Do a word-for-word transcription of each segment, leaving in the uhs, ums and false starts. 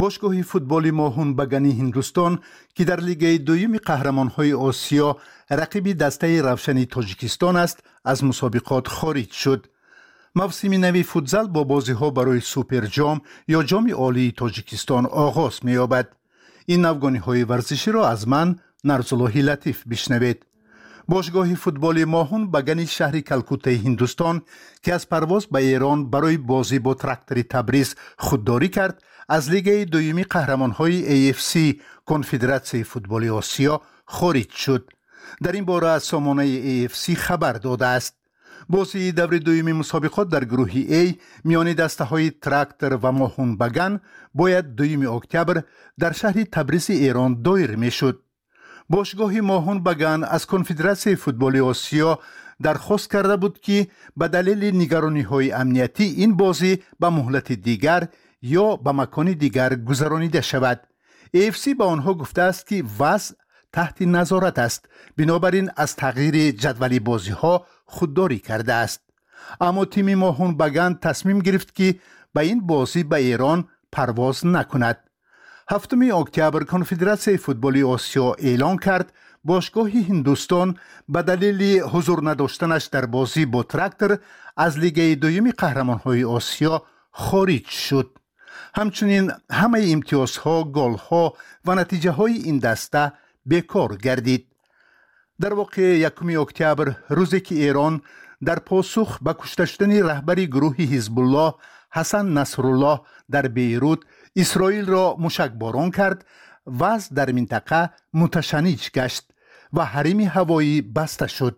Бошгоҳи футболи Моҳун Багани Ҳиндустон, ки дар лигаи дуюми қаҳрамонҳои Осиё рақиби дастаи Равшани Тоҷикистон аст, аз мусобиқот хориҷ шуд. Мавсими нави футзал бо бозиҳо барои Суперҷом ё Ҷоми Олии Тоҷикистон оғоз меёбад. Ин навгониҳои варзиширо аз ман, Нарзуллоҳи Латиф, бишнавед. Бошгоҳи футболи Моҳун Багани шаҳри Калкуттаи Ҳиндустон, ки аз парвоз ба Эрон барои бозӣ бо Трактори Табриз худдорӣ кард, аз лигаи дуюми қаҳрамонҳои A F C, Конфедератсияи футболи Осиё, хориҷ шуд. Дар ин бора сомонаи A F C хабар додааст. Бозии даври дуюми мусобиқот дар гурӯҳи А миёни дастаҳои Трактор ва Моҳун Баган бояд дуюми октябр дар шаҳри Табризи Эрон доир мешуд. Бошгоҳи Моҳун Баган аз Конфедератсияи футболи Осиё дархост карда буд, ки ба далели нигарониҳои амниятӣ ин бозӣ ба муҳлати дигар ё ба макони дигар гузаронида шавад. A F C ба онҳо гуфтааст, ки вазъ таҳти назорат аст, бинобар ин аз тағйири ҷадвали бозиҳо худдорӣ кардааст. Аммо тими Моҳун Баган тасмим гирифт, ки ба ин бозӣ ба Эрон парвоз накунад. Ҳафтуми октябр Конфедератсияи футболи Осиё эълон кард, бошгоҳи Ҳиндустон ба далели ҳузур надоштанаш дар бозӣ бо Трактор аз лигаи дуюми қаҳрамонҳои Осиё хориҷ шуд. Ҳамчунин ҳамаи имтиёзҳо, голҳо ва натиҷаҳои ин даста бекор гардид. Дар воқеъ, якуми октябр, рӯзе ки Эрон дар посух ба кушта шудани раҳбари гурӯҳи Ҳизбуллоҳ Ҳасан Насруллоҳ дар Бейрут Исроилро мушакборон кард, вазъ дар минтақа муташанниҷ гашт ва ҳарими ҳавоӣ баста шуд.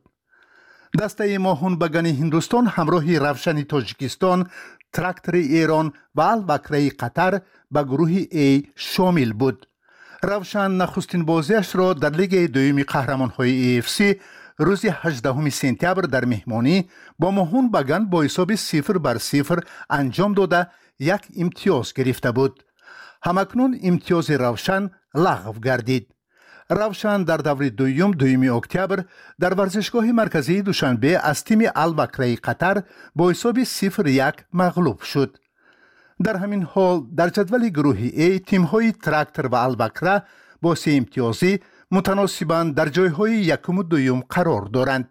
Дастаи Моҳунбагани Ҳиндустон ҳамроҳи Равшани Тоҷикистон, Трактори Эрон ва Алвакраи Қатар ба гурӯҳи А шомил буд. Равшан нахустин бозиашро дар лигаи дуюми қаҳрамонҳои A F C рӯзи ҳаждаҳуми сентябр дар меҳмонӣ бо Моҳун Баган бо ҳисоби сифр бар сифр анҷом дода, як имтиёз гирифта буд. Ҳамакнун имтиёзи Равшан лағв гардид. Равшан дар даври дуюм дуюми октябр дар варзишгоҳи марказии Душанбе аз тими Алвакраи Қатар бо ҳисоби сифр як мағлуб шуд. Дар ҳамин ҳол, дар ҷадвали гурӯҳи А тимҳои Трактор ва Алвакра бо сеимтиёзӣ мутаносибан дар ҷойҳои якуму дуюм қарор доранд.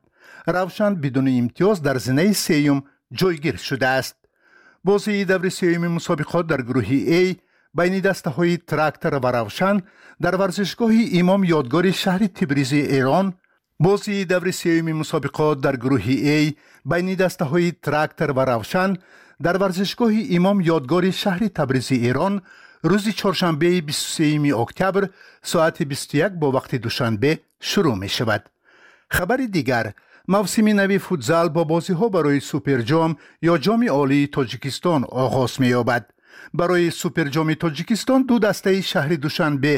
Равшан бидуни имтиёз дар зинаи сеюм ҷойгир шудааст. Бозии даври сеюми мусобиқот дар гурӯҳи А байни дастаҳои Трактор ва Равшан дар варзишгоҳи Имом Ёдгори шаҳри Тибризи Эрон бозии даври сеюми мусобиқот дар гурӯҳи А байни дастаҳои Трактор ва Равшан дар варзишгоҳи Имом Ёдгори шаҳри Табризи Эрон рӯзи чоршанбеи бисту сеюми октябр соати бисту як бо вақти Душанбе шурӯъ мешавад. Хабари дигар: мавсими нави футзал бо бозиҳо барои Суперҷом ё Ҷоми Олии Тоҷикистон оғоз меёбад. Барои Суперҷоми Тоҷикистон ду дастаи шаҳри Душанбе,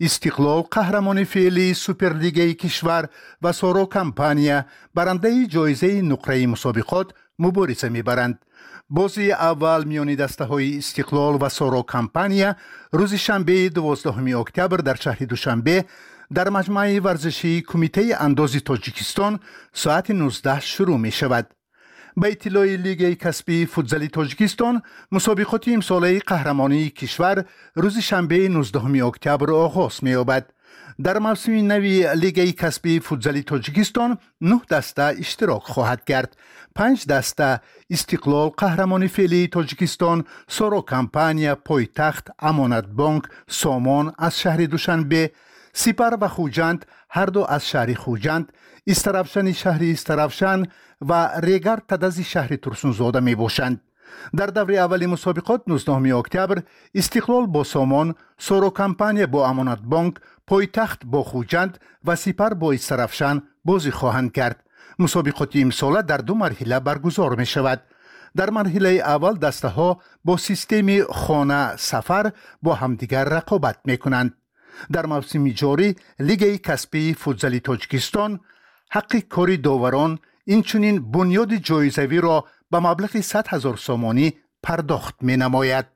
Истиқлол, қаҳрамони феълии Суперлигаи кишвар, ва Соро Компания, барандаи ҷоизаи нуқраи мусобиқот, мубориза мебаранд. Бозии аввал миёни дастаҳои Истиқлол ва Соро Компания рӯзи шанбеи дувоздаҳуми октябр дар шаҳри Душанбе дар маҷмӯаи варзишии Кумитаи андози Тоҷикистон соати нуздаҳ шурӯъ мешавад. Ба иттилои Лигаи касбии футзали Тоҷикистон, мусобиқоти имсолаи қаҳрамонии кишвар рӯзи шанбеи нуздаҳуми октябр оғоз меёбад. Дар мавсими нави Лигаи касбии футзали Тоҷикистон нӯҳ даста иштирок хоҳад кард. Панҷ даста: Истиқлол, қаҳрамони феълии Тоҷикистон, Соро Компания, Пойтахт, Амонатбонк, Сомон аз шаҳри Душанбе, Сипар ва Хуҷанд, ҳарду аз шаҳри Хуҷанд, Истаравшани шаҳри Истаравшан ва Регар Тадази шаҳри Турсунзода мебошанд. Дар даври аввали мусобиқот нуздаҳуми октябр Истиқлол бо Сомон, Соро Компания бо Амонатбонк, Пойтахт бо Хуҷанд ва Сипар бо Истаравшан бозӣ хоҳанд кард. Мусобиқоти имсола дар ду марҳила баргузор мешавад. Дар марҳилаи аввал дастаҳо бо системи хона сафар бо ҳамдигар рақобат мекунанд. Дар мавсими ҷорӣ Лигаи касбии футзали Тоҷикистон ҳаққи кори доварон, инчунин бунёди ҷоизавиро ба маблағи сад ҳазор сомонӣ пардохт менамояд.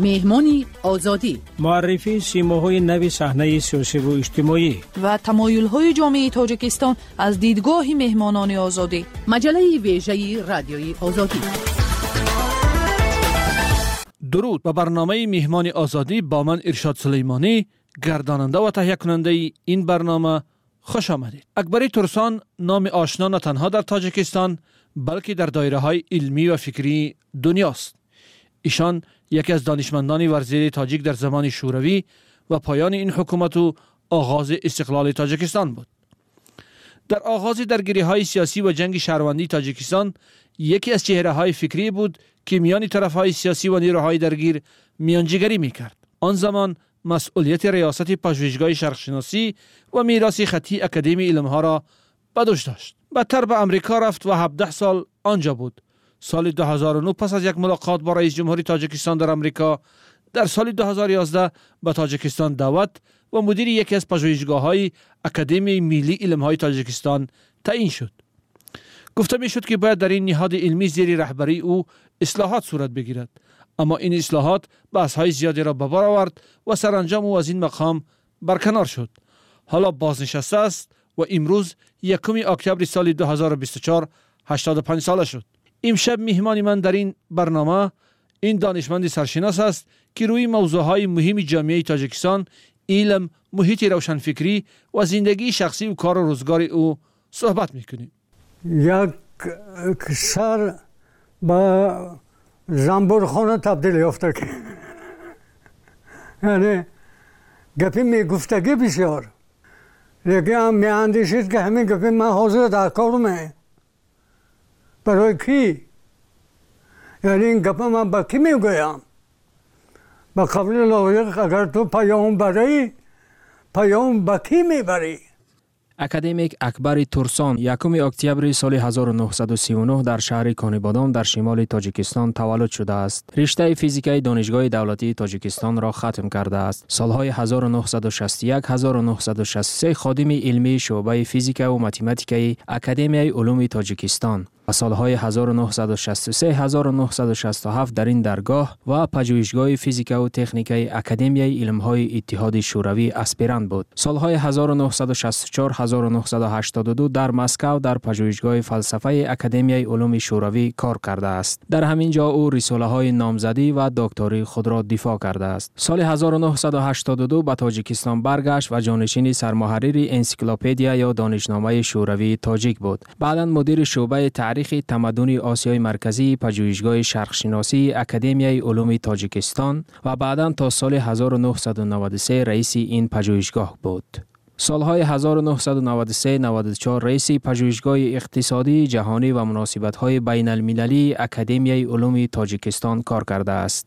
Меҳмони Озодӣ. Муаррифии симоҳои нави саҳнаи сиёсиву иҷтимоӣ ва тамоюлҳои ҷомеаи Тоҷикистон аз дидгоҳи меҳмонони Озодӣ. Маҷаллаи вежаи Радиои Озодӣ. Дуруд ба барномаи Меҳмони Озодӣ бо ман Иршод Сулаймонӣ, гардонанда ва таҳиякунандаи ин барнома, хуш омадед. Акбари Турсон номи ошно на танҳо дар Тоҷикистон, балки дар доираҳои илмӣ ва фикрии дунёст. Эшон яке аз донишмандони варзидаи тоҷик дар замони Шӯравӣ ва поёни ин ҳукумат ва оғози истиқлоли Тоҷикистон буд. Дар оғози даргириҳои сиёсӣ ва ҷанги шаҳрвандии Тоҷикистон яке аз чеҳраҳои фикрӣ буд, ки миёни тарафҳои сиёсӣ ва нерӯҳои даргир миёнҷигарӣ мекард. Он замон масъулияти риёсати пажӯҳишгоҳи шарқшиносӣ ва мероси хаттии Академияи илмҳоро ба дӯш дошт. Баъдтар ба Амрико рафт ва ҳабдаҳ сол онҷо буд. Соли ду ҳазору нӯҳ пас аз як мулоқот бо раиси ҷумҳури Тоҷикистон дар Амрико, дар соли ду ҳазору ёздаҳ ба Тоҷикистон даъват ва мудири яке аз пажӯҳишгоҳҳои Академияи миллии илмҳои Тоҷикистон таъйин шуд. Гуфта мешуд, ки бояд дар ин ниҳоди илмӣ зери раҳбарии ӯ ислоҳот сурат бигирад, аммо ин ислоҳот баҳсҳои зиёдеро ба бор овард ва саранҷом ӯ аз ин мақом барканор шуд. Ҳоло бознишаста аст ва имрӯз якуми октябри соли ду ҳазору бисту чор ҳаштоду панҷ сола шуд. Имшаб меҳмони ман дар ин барнома ин донишманди саршинос аст, ки рӯи мавзӯъҳои муҳими ҷомеаи Тоҷикистон, илм, муҳити равшанфикрӣ ва зиндагии шахсӣ ва кору рӯзгори ӯ суҳбат мекунем. Як сар ба занбурхона табдил ёфта, яъне гапи мегуфтагӣ бисёр, лекин ҳам меандешид, ки ҳамин гапи ман ҳозир дар кор ме, барои кӣ? Яъне ин гапа ман ба кӣ мегӯям? Ба қавли лоиқ, агар ту паём барӣ, паём ба кӣ мебарӣ? Академик Акбари Турсон якуми октябри соли ҳазору нӯҳсаду сию нӯҳ дар шаҳри Конибодом дар шимоли Тоҷикистон таваллуд шудааст. Риштаи физикаи Донишгоҳи давлатии Тоҷикистонро хатм кардааст. Солҳои ҳазору нӯҳсаду шасту як ҳазору нӯҳсаду шасту се ходими илмии шӯъбаи физикаву математикаи Академияи улуми Тоҷикистон ва солҳои ҳазору нӯҳсаду шасту се ҳазору нӯҳсаду шасту ҳафт дар ин даргоҳ ва пажӯҳишгоҳи физикаву техникаи Академияи илмҳои Иттиҳоди Шӯравӣ аспирант буд. Солҳои ҳазору нӯҳсаду шасту чор ҳазору нӯҳсаду ҳаштоду ду дар Москав дар пажӯҳишгоҳи фалсафаи Академияи улуми Шӯравӣ кор кардааст. Дар ҳамин ҷо ӯ рисолаҳои номзадӣ ва доктории худро дифоъ кардааст. Соли ҳазору нӯҳсаду ҳаштоду ду ба Тоҷикистон баргашт ва ҷонишини сармуҳаррири энсиклопедия ё донишномаи Шӯравии тоҷик буд. Баъдан мудири шӯъбаи таърихи тамаддуни Осиёи Марказии пажӯҳишгоҳи шарқшиносии Академияи улуми Тоҷикистон ва баъдан то соли ҳазору нӯҳсаду наваду се раиси ин пажӯҳишгоҳ буд. Солҳои ҳазору нӯҳсаду наваду се наваду чор раиси пажӯҳишгоҳи иқтисодии ҷаҳонӣ ва муносибатҳои байналмилалии Академияи улуми Тоҷикистон кор кардааст.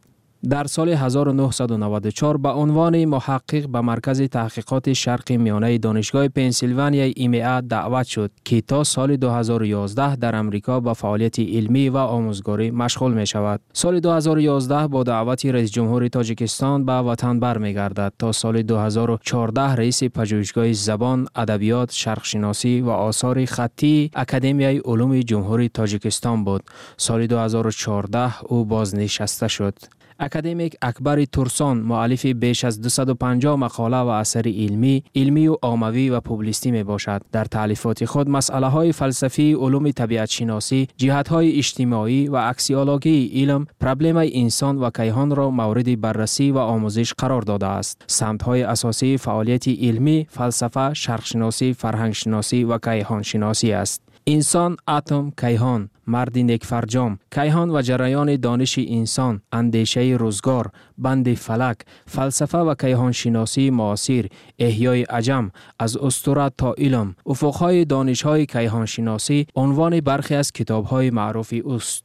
Дар соли ҳазору нӯҳсаду наваду чор ба унвони муҳаққиқ ба Маркази таҳқиқоти Шарқи Миёнаи Донишгоҳи Пенсилванияи М А даъват шуд, ки то соли ду ҳазору ёздаҳ дар Амрико ба фаъолияти илмӣ ва омӯзгорӣ машғул мешавад. Соли ду ҳазору ёздаҳ бо даъвати раиси ҷумҳури Тоҷикистон ба ватан бармегардад. То соли ду ҳазору чордаҳ раиси пажӯҳишгоҳи забон, адабиёт, шарқшиносӣ ва осори хаттии Академияи улуми Ҷумҳурии Тоҷикистон буд. Соли ду ҳазору чордаҳ ӯ бознишаста шуд. Академик Акбари Турсон муаллифи беш аз дусаду панҷоҳ мақола ва асари илмӣ, илмию оммавӣ ва публистӣ мебошад. Дар таълифоти худ масъалаҳои фалсафии улуми табиатшиносӣ, ҷиҳатҳои иҷтимоӣ ва аксиологияи илм, проблемаи инсон ва кайҳонро мавриди баррасӣ ва омӯзиш қарор додааст. Самтҳои асосии фаъолияти илмӣ фалсафа, шарқшиносӣ, фарҳангшиносӣ ва кайҳоншиносӣ аст. Инсон, атом, кайҳон, марди некфарҷом, кайҳон ва ҷараёни дониши инсон, андешаи рӯзгор, банди фалак, фалсафа ва кайҳоншиносии муосир, эҳёи аҷам, аз устура то илм, уфуқҳои донишҳои кайҳоншиносӣ унвони бархе аз китобҳои маъруфи ӯст.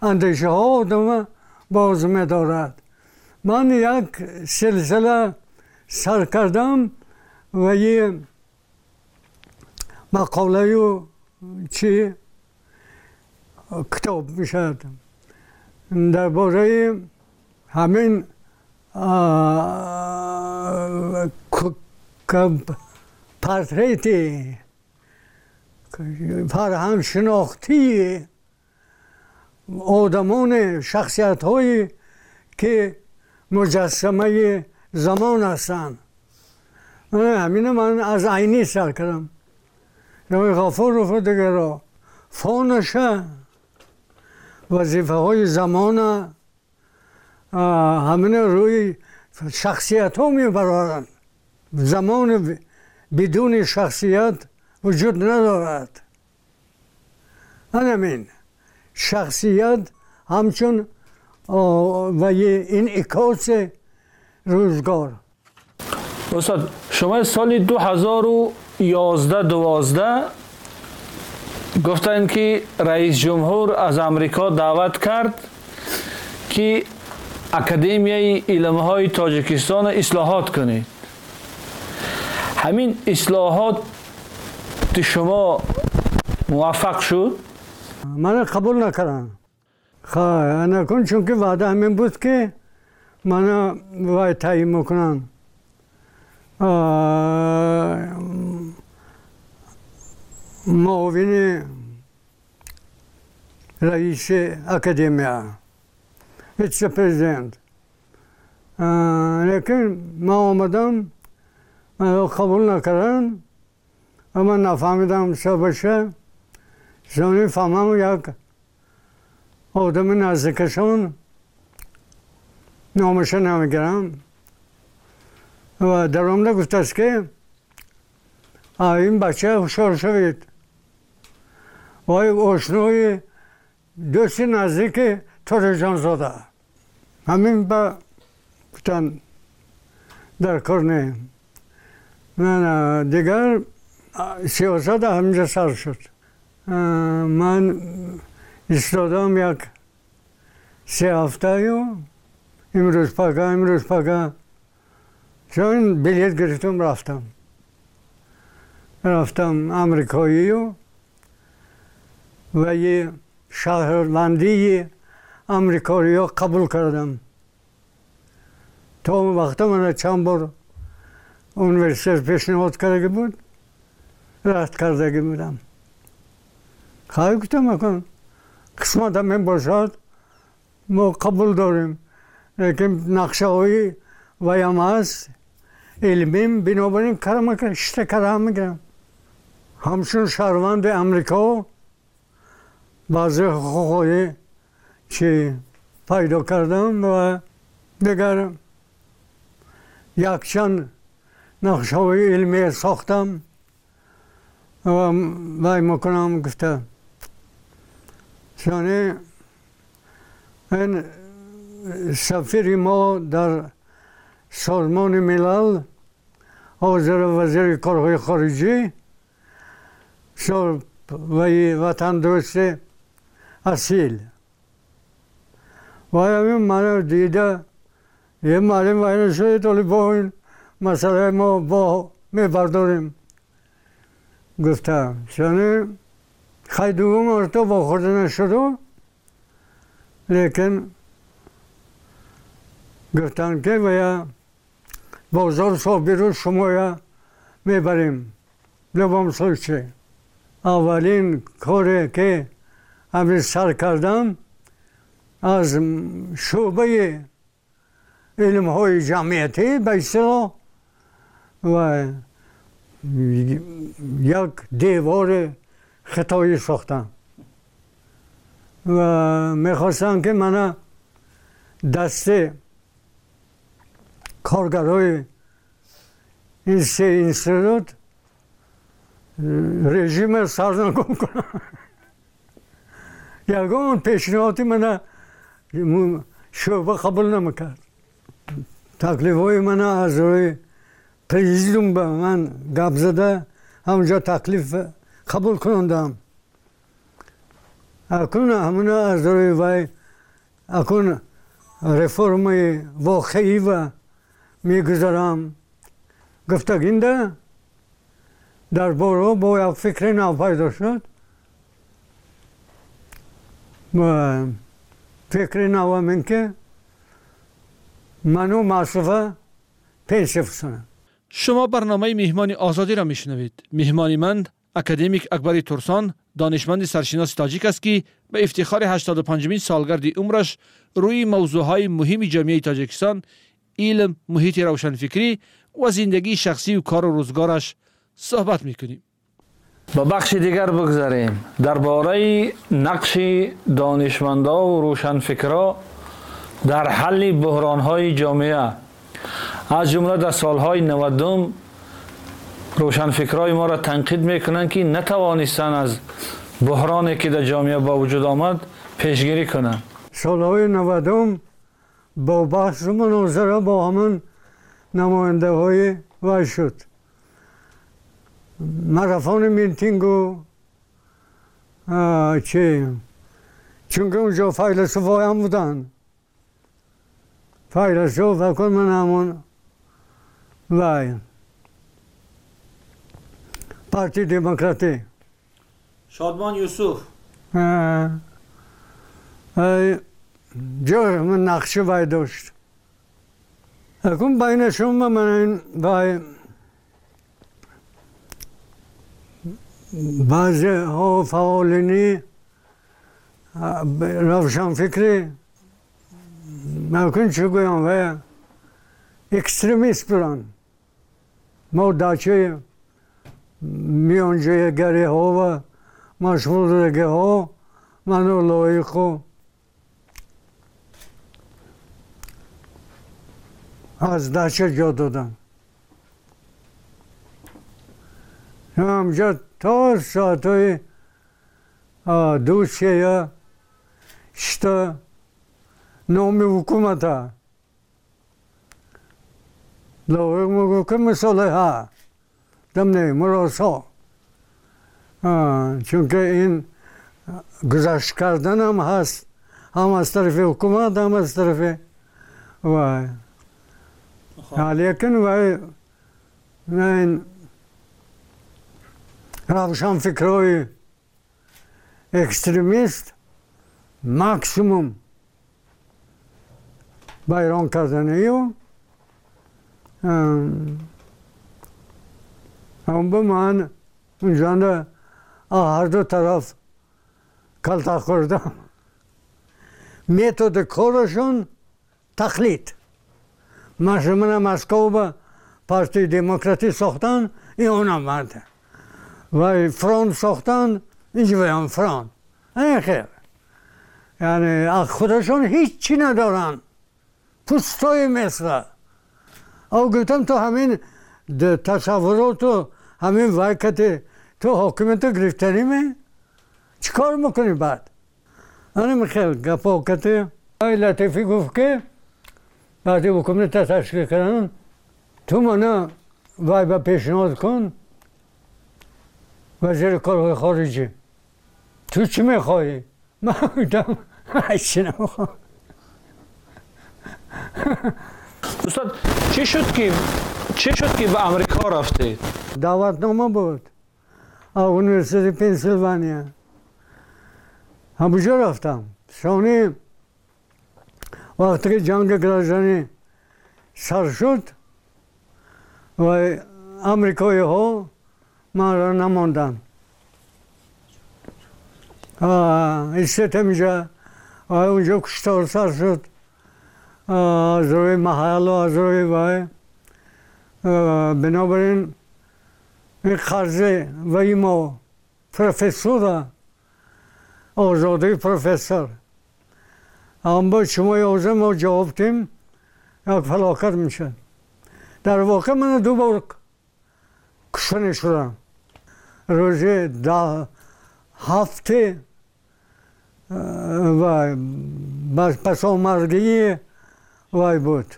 Андешаҳо одама боз медорад. Ман як силсила сар кардам ва мақолаю чӣ китоб мешавад дар бораи ҳамин портрети фарҳангшинохтии одамони шахсиятҳое ки муҷассамаи замон ҳастанд. Ҳамина ман аз Айнӣ сар кардам. Ғафуров дигаро фонаша вазифаҳои замона ҳамина рӯи шахсиятҳо мебароранд. Замон бидуни шахсият вуҷуд надорад. Ҳамин шахсият ҳамчун ва инъикоси рӯзгор. Устод, шумо соли ду ҳазору ёздаҳ дувоздаҳ гуфтанд, ки раис ҷумҳур аз Амрико даъват кард, ки Академияи илмҳои Тоҷикистон ислоҳот кунед. Ҳамин ислоҳот шумо муваффақ шуд? Мана қабул накардам. Накун, чунки ваъда ҳамин буд, ки мана вай таъйин мекунанд. Муовини раиси академия, вице-президент. Лекин ман омадам, маро қабул накарданд ва ман нафаҳмидам сабабша. Зони фаҳмам, як одами наздикашон, номаша намегирам, ва даромада гуфтааст, ки ин бача ҳушёр шавед, вай ошнои дӯсти наздики Торежонзода. Ҳамин ба гуфтанд, дар кор не. Дигар сиёсат ҳаминҷа сар шуд. Ман истодам як се ҳафтаю, имрӯз пага, имрӯз пага. Чун билет гирифтам, рафтам. Рафтам амрикоию ва шаҳрвандии амрикоиё қабул кардам. То он вақта мана чанд бор университет пешниҳод кардаги буд, рад кардаги будам. Хай, гуфтам, акун қисмат ҳамин бошад, мо қабул дорем, лекин нақшаҳои ваям ҳаст илмим, бинобар ин карама шита карам мегирам. Ҳамчун шаҳрванди Амрико баъзе ҳуқуқҳое чи пайдо кардам ва дигар якчанд нақшаҳои илмие сохтам ва вай мекунам гуфта. Яъне ин сафири мо дар Созмони Милал, ҳозир вазири корҳои хориҷӣ, ваи ватандӯсти асил. Вай ҳамин маро дида, е маълим вай нашудед, оли бо ин масъалаи мо бо мебардорем гуфта. Яъне хай дуввум марто вохӯрда нашуду, лекин гуфтанд, ки вая бозор собиру шумоя мебарем. В любом случае, аввалин коре, ки ҳамин сар кардам, аз шӯъбаи илмҳои ҷамъиятӣ ба истилоҳ ва як девори хитоӣ сохтам ва мехостам, ки мана дасти коргарои ин се институт режима сарнагун кунам. Ягон пешниҳоди мана шӯъба қабул намекард. Таклифҳои мана аз рӯи президиум ба ман гап зада, ҳамонҷо таклиф қабул кунондам. Акун ҳамона аз рӯи вай акун реформаи воқеӣ ва мегузарам гуфтагинда дар боро бо як фикри нав пайдо шуд. Ва фикри навам ин ки ману Маъсуфа пенсия фурсонам. Шумо барномаи Меҳмони Озодиро мешунавед. Меҳмони ман академик Акбари Турсон, донишманди саршиноси тоҷик аст, ки ба ифтихори ҳаштоду панҷумин солгарди умраш рӯи мавзӯъҳои муҳими ҷомеаи Тоҷикистон, илм, муҳити равшанфикрӣ ва зиндагии шахсию кору рӯзгораш суҳбат мекунем. Ба бахши дигар бигзарем. Дар бораи нақши донишмандо ва рӯшанфикро дар ҳалли буҳронҳои ҷомеа, аз ҷумла дар солҳои навадум рӯшанфикрои моро танқид мекунанд, ки натавонистанд аз буҳроне ки дар ҷомеа ба вуҷуд омад пешгирӣ кунанд. Солҳои навадум бо баҳсу мунозира бо ҳамон намояндаҳои вай шуд. Марафони митингу чи, чунки унҷо файласуфоям буданд. Файласуф факр ман ҳамон вай партии демократӣ. Шодмон Юсуф. Ҷой ман нақши вай дошт. Акун байнашон ман вай баъзеҳо фаъолини равшанфикрӣ акун чӣ гӯям вай экстремист буданд. Мо дачаи миёнҷигариҳо ва машғулдагиҳо ману лоиқу аз дача ҷо доданд. Ҳамҷо то соатҳои ду сея шита номи ҳукумата лоиқ мегӯфт ки мусолиҳа дамне муросо, чунки ин гузашт карданам ҳаст ҳам аз тарафи ҳукумат ҳам аз тарафи вай. Лекин вай ин равшанфикрҳои экстремист максимум вайрон карданию ба ман унҷанда ҳарду тараф калта хӯрдам. Методи корашон тақлид. Мана Москва ба партияи демократӣ сохтан, ин онам марда. Вай фронт сохтан, инҷоям фронт. Ин хел. Яъне аз худашон ҳеҷ чӣ надоранд. Пустое место. Ав гуфтам ту ҳамин тасаввуроту ҳамин вайкати ту ҳокимиятро гирифтанӣ ме? Чӣ кор мекунӣ баъд? Анам хел гапо кати. Ай Латифӣ гуфт ки баъди ҳукумата ташкил кардан ту мана вай ба пешниҳод кун вазири корҳои хориҷӣ. Ту чӣ мехоҳӣ? Ман гуфтам ҳеҷ намехоҳам. Устод, чӣ шуд ки чӣ шуд ки ба Амрико рафтед? Даъватнома буд аз университети Пенсилвания. Ҳамуҷо рафтам. Сони вақте ки ҷанги гражданӣ сар шуд ва амрикоиҳо манро намонданд. Истед ҳаминҷа унҷо куштор сар шуд аз рӯи маҳаллу аз рӯи вай. Бинобар ин ин қарзи ваи мо профессора озодии профессор. Аммо шумо ёза мо ҷавоб дем як фалокат мешавад. Дар воқеъ ман ду бор кушта шудам. Рӯзи ҳафте вай пасомаргии вай буд.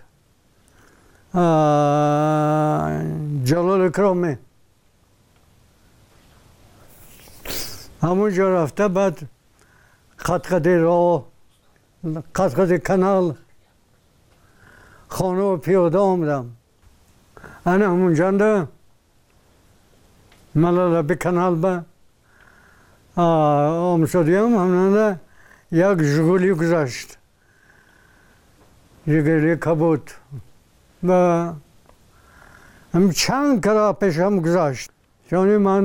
Ҷалол Икромӣ. Ҳамонҷо рафта баъд қадқади роҳ, қадқади канал хона пиёда омадам. Ана ҳамонҷанда малалаби канал ба омшудиям ҳамонанда як Жигули гузашт. Жигули кабуд. Ва ҳам чанд кара пешам гузашт. Чони ман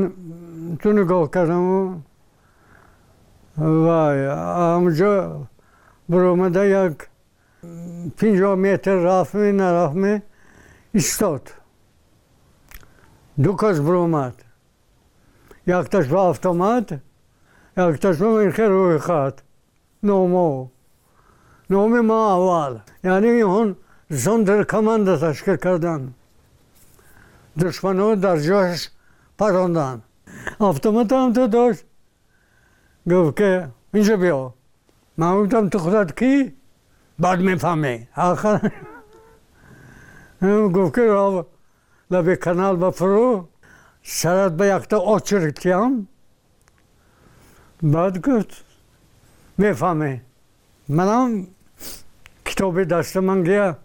ту нигоҳ кардаму вай ҳамонҷо баромада як пинҷоҳ метр рафтме нарафтме истод. Ду кас баромад. Якташ ба автомат, якташ ба инхе рӯйхат. Номо. Номи ма аввал. Яъне инҳон зондеркоманда ташкил карданд. Душманро дар ҷояш паронданд. Автомат ҳам ту дошт. Гуфт ки инҷо биё. Ман гуфтам ту худат кӣ? Баъд мефаҳмӣ. Ахир гуфт ки рав лаби канал ба фурӯ, сарат ба якта очерк тиям. Баъд гуфт мефаҳмӣ. Манам китоби дасти ман гия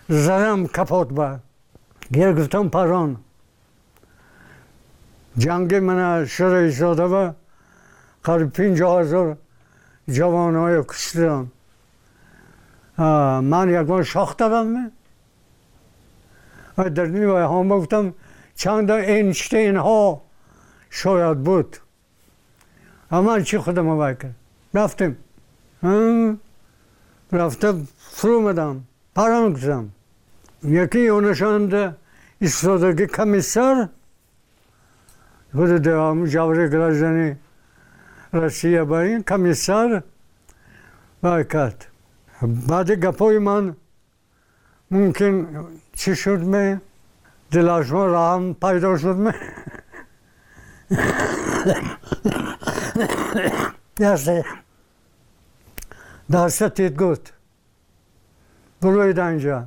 задам капот ба. Гия гуфтам парон. Ҷанги мана Шӯравииттиҳода ба қариб пинҷоҳ ҳазор ҷавонҳоя куштидам. Ман ягон шох дадам. Ва дар ҳам гуфтам чанд Эйнштейнҳо шояд буд. Ман чӣ худам вай кард. Рафтем. Рафта фурӯмадам. Парон гуфтам. Яке ёнашонда истодаги комиссар худи ҷаври граждани Россия ба ин комиссар вай кард. Баъди гапҳои ман мумкин чӣ шуд ме? Дилашмо раҳм пайдо шуд ме? Даста тид гуфт. Буроид инҷа.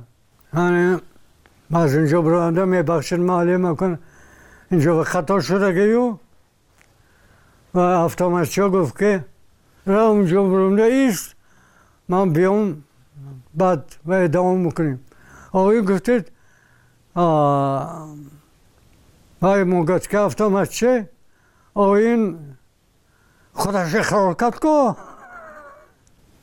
Аз инҷо буроанда мебахшид маълим акун инҷо хато шудагию ва автоматчо гуфт ки рав унҷо буромда ист, ман биём баъд ва идома мекунем. Ои гуфтед вай мугӯяд ки автоматчи оин худаш иқрор кард ку.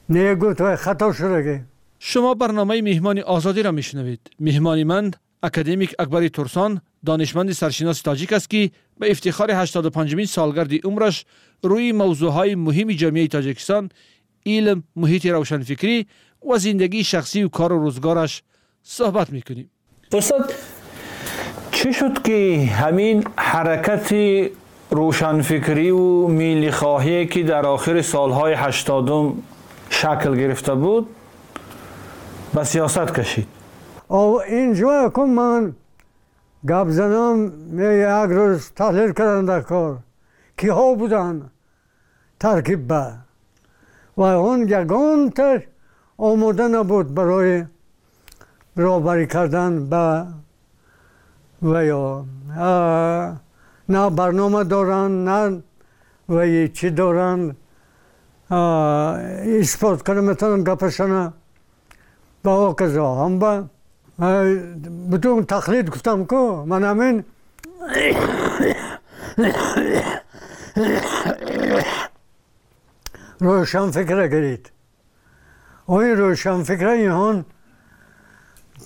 Не гуфт вай хато шудагӣ. Шумо барномаи Меҳмони Озодиро мешунавед. Меҳмони ман академик Акбари Турсон, донишманди саршиноси тоҷик аст ки ба ифтихори ҳаштоду панҷумин солгарди умраш рӯи мавзӯъҳои муҳими ҷомеаи Тоҷикистон, илм, муҳити равшанфикрӣ ва зиндагии шахсию кору рӯзгораш суҳбат мекунем. Устод, чӣ шуд ки ҳамин ҳаракати рӯшанфикриву миллихоҳие ки дар охири солҳои ҳаштодум шакл гирифта буд ба сиёсат кашид? Инҷо кун ман гап занам як рӯз таҳлил кардам дар кор киҳо буданд таркиб ба ва он ягонта омода набуд барои роҳбарӣ кардан ба ва ё на барнома доранд, на ваи чӣ доранд, исбот карда метавонанд гапашона ба ҳоказо. Ҳам ба бутун тақлид гуфтам ку ман ҳамин рӯшанфикра гирид. Ин рӯшанфикра инҳон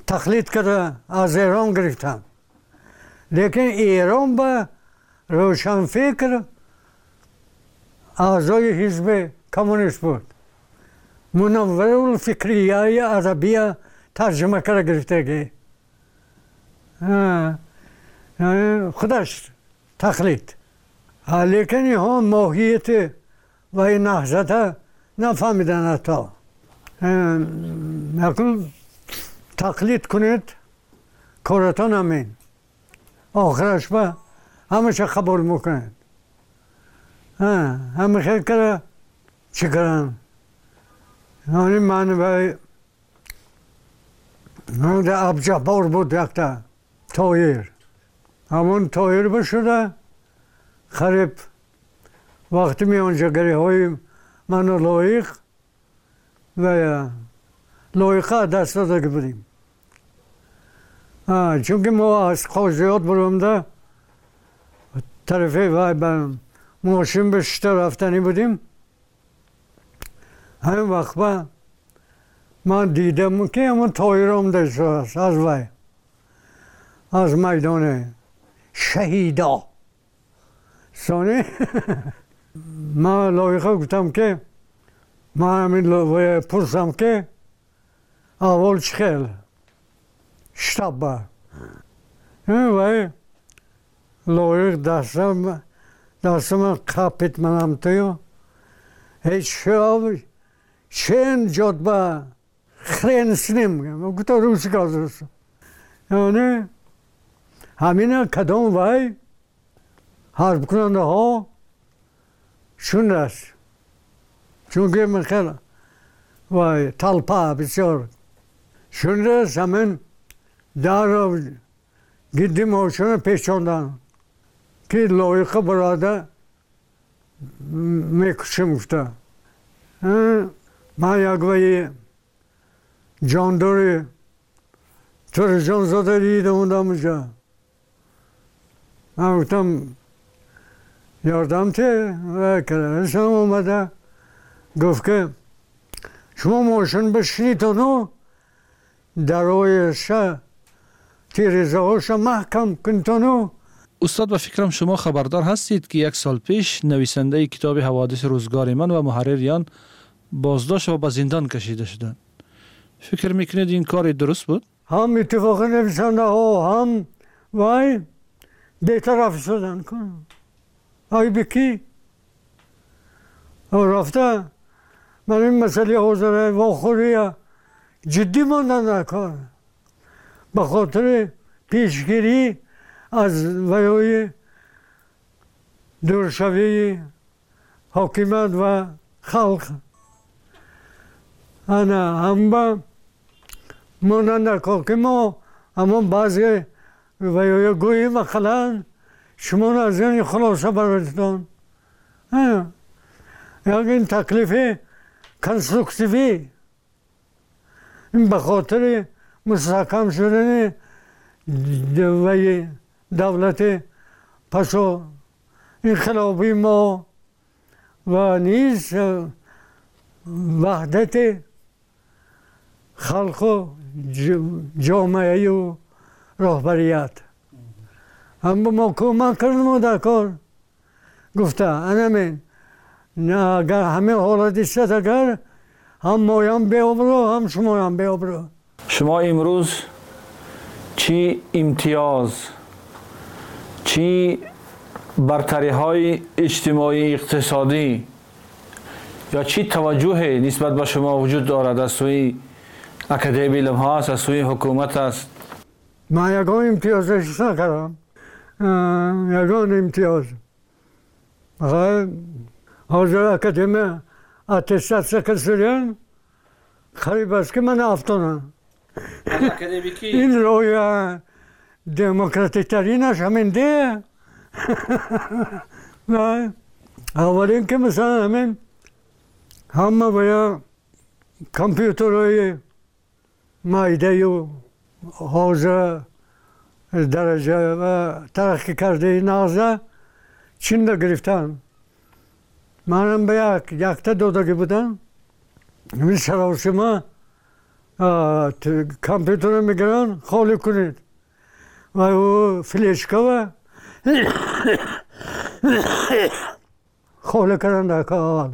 тақлид карда аз Эрон гирифтанд. Лекин Эрон ба рӯшанфикр аъзои ҳизби коммунист буд. Мунавварулфикрияи арабия тарҷума карда гирифтагӣ. Худаш тақлид. Лекин инҳо моҳияти ва ин наҳзата нафаҳмиданд ҳатто. Акун тақлид кунед, коратон ҳамин. Охираш ба ҳамаша қабул мекунед. Ҳама хел карда чӣ карданд? Яъне ман Абҷаббор буд якта Тоҳир. Ҳамон Тоҳир бишуда қариб вақти миёнҷагариҳои ману Лоиқ ва Лоиқа даст додагӣ будем. Чунки мо аз Қозиёт буромда тарафи вай ба мошин бишта рафтанӣ будем. Ҳамин вақт ба ман дидам ки ҳамон Тоҳир омда истодааст аз вай аз майдони шаҳидо. Сони ман Лоиқа гуфтам ки ман ҳамин пурсам ки аҳвол чӣ хел штаб ба. Вай Лоиқ дастам دستم قپید منم تویو هیچ شن جدبا خرین سنیم گفت روسی گازرس یعنی همین کدام وای حرب کننده ها شون است چون که من خیلی وای تلپا بسیار شون است همین در گیدی موشون پیچاندن که لایق براده میکشم گفته من یک وی جانداری ترجان زاده دیدم اونجا اونجا من گفتم یاردم ته و کرده اومده گفت که شما ماشین بشینیتونو درایش تیرزه هاش محکم کنتونو. استاد به فکرم شما خبردار هستید که یک سال پیش نویسنده کتاب حوادث روزگار من و محرریان بازداشت و به زندان کشیده شدند. فکر میکنید این کار درست بود؟ هم اتفاق نویسنده ها هم وای بیطرف شدن کن. آی بکی رفته من این مسئله حوزه واخوری جدی ماندن در کار به خاطر پیشگیری از ویای دورشوی حاکمیت و خلق انا هم با ماندن در کار که ما اما بعضی ویای گویی مثلا شما از این خلاصه براتون یعنی این تکلیف کنسترکتیوی این به خاطر مستحکم شدن وی دولت پسو انقلابی ما و نیز وحدت خلق و جامعه و راهبریت هم با ما کمک کردم در کار گفته انمین نه اگر همه حالت است اگر هم مایم بیابرو هم شما هم بیابرو. شما امروز چی امتیاز چی برتری های اجتماعی اقتصادی یا چی توجه نسبت به شما وجود دارد از سوی اکادمی علم ها است، از سوی حکومت است؟ من یگان امتیاز احساس نکردم، یگان امتیاز. حاضر اکادمی اتستاسیا کردن خریب است که من افتادم. این روی دموکراتیک ترینش همین ده. اولین که مثلا همین همه باید کامپیوترهای مایده و حوزه درجه و ترقی کرده نازه چین را گرفتن. منم به یک یکتا دادگی بودم. این سراسیمه کامپیوتر رو میگیرن خالی کنید و او فلشکا و خالی کردن در کار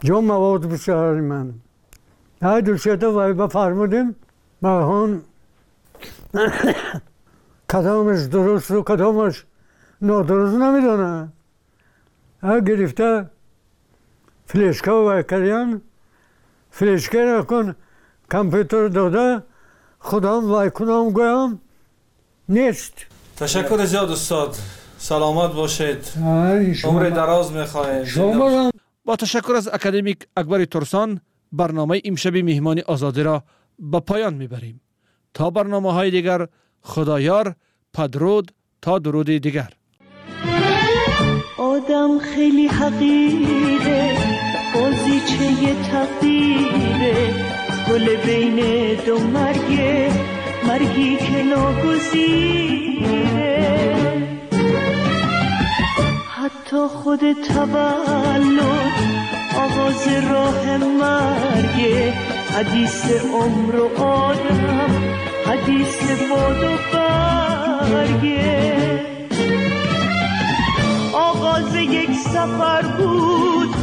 جا مواد بسیار من های دوشیتا وای بفرمودیم برهان کدامش درست و کدامش نادرست نمیدونه. ها گرفته فلشکا وای کردن فلشکا را کن کامپیوتر داده خودم وای کنم گویم نیست. تشکر زیاد استاد، سلامت باشید، عمر دراز میخواهیم. با تشکر از اکادمیک اکبر ترسان برنامه امشب میهمان آزادی را به پایان میبریم. تا برنامه های دیگر خدایار، پدرود تا درود دیگر. آدم خیلی حقیره، بازیچه تقدیره، گل بین دو مرگه، مرگی که ناگزیره. حتی خود تولد آغاز راه مرگه، حدیث عمر و آدم حدیث باد و برگه. آغاز یک سفر بود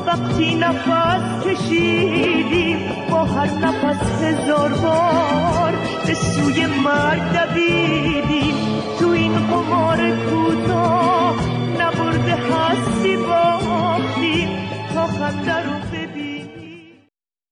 وقتی نفس کشیدیم، با هر نفس هزار بار به سوی مرگ دویدیم. تو این قمار کوتاه نبرده هست با خنده رو